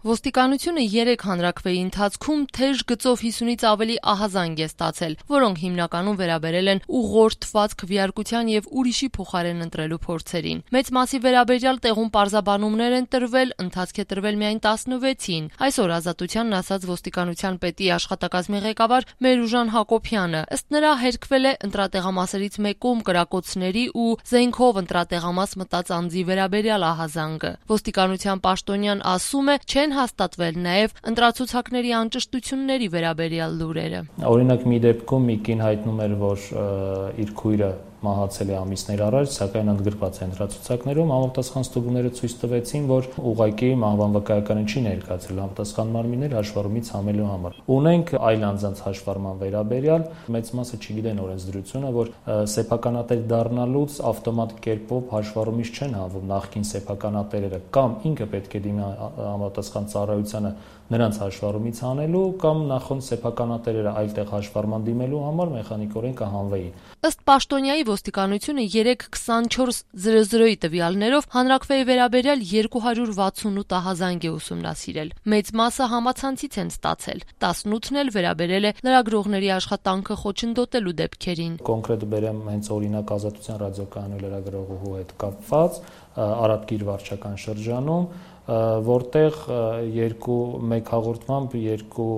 Ոստիկանությունը 3 հանրաքվեի ընթացքում թեժ գծով 50-ից ավելի ահազանգ է ստացել, որոնք հիմնականում վերաբերել են ուղղորդված քվեարկության եւ ուրիշի փոխարեն ընտրելու փորձերին։ Մեծ մասի վերաբերյալ տեղում պարզաբանումներ են տրվել, ընթացք է տրվել միայն 16-ին։ Այսօր Ազատությանն ասաց ոստիկանության պետի աշխատակազմի ղեկավար Մերուժան Հակոբյանը։ Ըստ նրա հերքվել է ընտրատեղամասերից մեկում կրակոցների ու զենքով ընտրատեղամաս մտած անձի վերաբերյալ ահազանգը։ Ոստիկանության պաշտոնյան ասում է, չեն հաստատվել նաև ընտրացուցակների անճշտությունների վերաբերյալ լուրերը։ Օրինակ մի դեպքում մի կին հայտնում էր, որ իր քույրը մահացել է ամիսներ առաջ, սակայն ընդգրկված է ընտրացուցակներում, համապատասխան ստուգումները ցույց տվեցին, որ ուղղակի մահվան վկայականը չի ներկայացրել համապատասխան մարմիններ հաշվառումից համելու համար։ Ունենք այլ անձանց հաշվառման վերաբերյալ, մեծ մասը չգիտեն օրենսդրությունը, որ սեփականատեր դառնալուց ավտոմատ կերպով հաշվառումից չեն հանվում նախկին սեփականատերերը, կամ ինքը պետք է դիմի համապատասխան ծառայությանը նրանց հաշվառումից հանելու, կամ նախորդ սեփականատերերը այլտեղ հաշվառման դիմելու համար մեխանիկորեն կհանվեին։ Ըստ պաշտոնյայի ոստիկանությունը 3-24-00-ի տվյալներով հանրաքվեի վերաբերյալ 268 ահազանգ է ուսումնասիրել։ Մեծ մասը համացանցից են ստացել, 18-ն էլ վերաբերել է լրագրողների աշխատանքը խոչընդոտելու դեպքերին։ Կոնկրետ բերեմ հենց օրինակ Ազատության ռադիոկայանի լրագրողուհու հետ կապված Արաբկիր վարչական շրջանում, որտեղ մեկ հաղորդմամբ երկու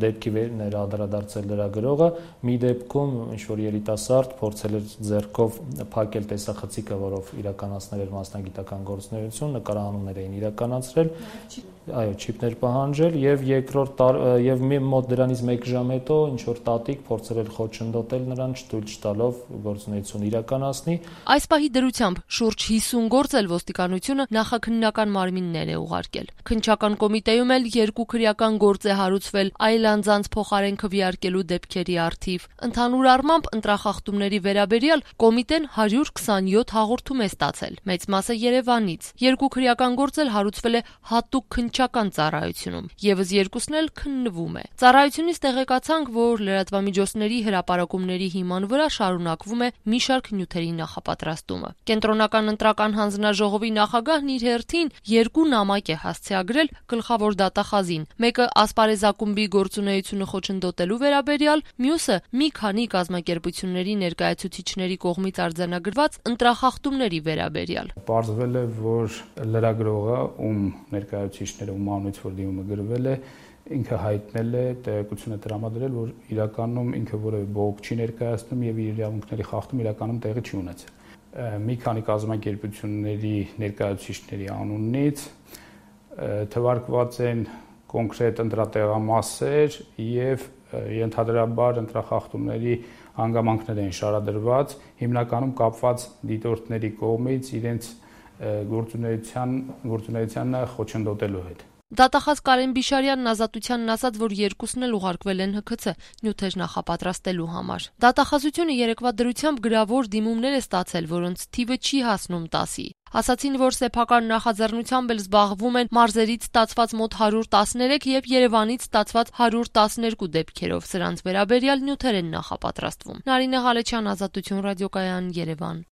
դեպքի անդրադարձել լրագրողը, մի դեպքում ինչ-որ երիտասարդ փորձել էր ձեռքով փակել տեսախցիկը, որով իրականացնել էր մասնագիտական գործունեություն, նկարահանումներ էին իրականացրել, չիպներ պահանջել, եւ մոտ դրանից 1 ժամ հետո ինչ-որ տատիկ փորձել էր խոչընդոտել նրան, չթույլ չտալով գործունեություն իրականացնի։ Այս պահի դրությամբ շուրջ 50 գործ էլ ոստիկանությունը նախաքննական մարմիններ է ուղարկել։ Քննչական կոմիտեում էլ 2 քրեական գործ է հարուցվել այլ անձանց փոխարեն քվեարկելու դեպքերի առթիվ։ Ընդհանուր առմամբ ընտրախախտումների վերաբերյալ կոմիտեն 127 հաղորդում է ստացել, մեծ մասը Երևանից։ 2 քրեական գործ էլ հարուցվել է հատուկ քննչական ծառայությունում, եւս 2-ն էլ քննվում է։ Ծառայությունից տեղեկացանք, որ լրատվամիջոցների հրապարակումների հիման վրա շարունակվում է մի շարք նյութերի նախապատրաստումը։ Կենտրոնական ընտրական հանձնաժողովի նախագահն իր հերթին 2 նամակ է հասցեագրել գլխավոր դատախազին, մեկը ասպարեզակումբի գործունեությունը խոչընդոտելու վերաբերյալ, մյուսը մի քանի կազմակերպությունների ներկայացուցիչների կողմից արձանագրված ընտրախախտումների վերաբերյալ։ Պարզվել է, որ լրագրողը, ում ներկայացուցիչները ում անունից որ դիմումը գրվել է, ինքը հայտնել է, տեղեկություն է տրամադրել, որ իրականում ինքը որևէ բողոք չի ներկայացնում եւ իր իրավունքների խախտում իրականում տեղի չի ունեցել։ Մի քանի կազմակերպությունների ներկայացուցիչների անունից թվարկված են կոնկրետ ընտրատեղամասեր եւ ենթադրաբար ընտրախախտումների հանգամանքներ են շարադրված, հիմնականում կապված դիտորդների կողմից իրենց գործունեությանը խոչընդոտելու հետ։ Դատախազ Կարեն Բիշարյանն Ազատությանն ասաց, որ 2-ն էլ ուղարկվել են ՀՔՑ նյութեր նախապատրաստելու համար։ Դատախազությունը երեկվա դրությամբ գրավոր դիմումներ է ստացել, որոնց թիվը չի հասնում 10-ի։ Ասացին, որ սեփական նախաձեռնությամբ էլ զբաղվում են մարզերից ստացված մոտ 113 եւ Երևանից ստացված 112 դեպքերով, սրանց վերաբերյալ նյութեր են նախապատրաստվում։ Նարինե Ղալեչյան, Ազատություն ռադիոկայան, Երևան։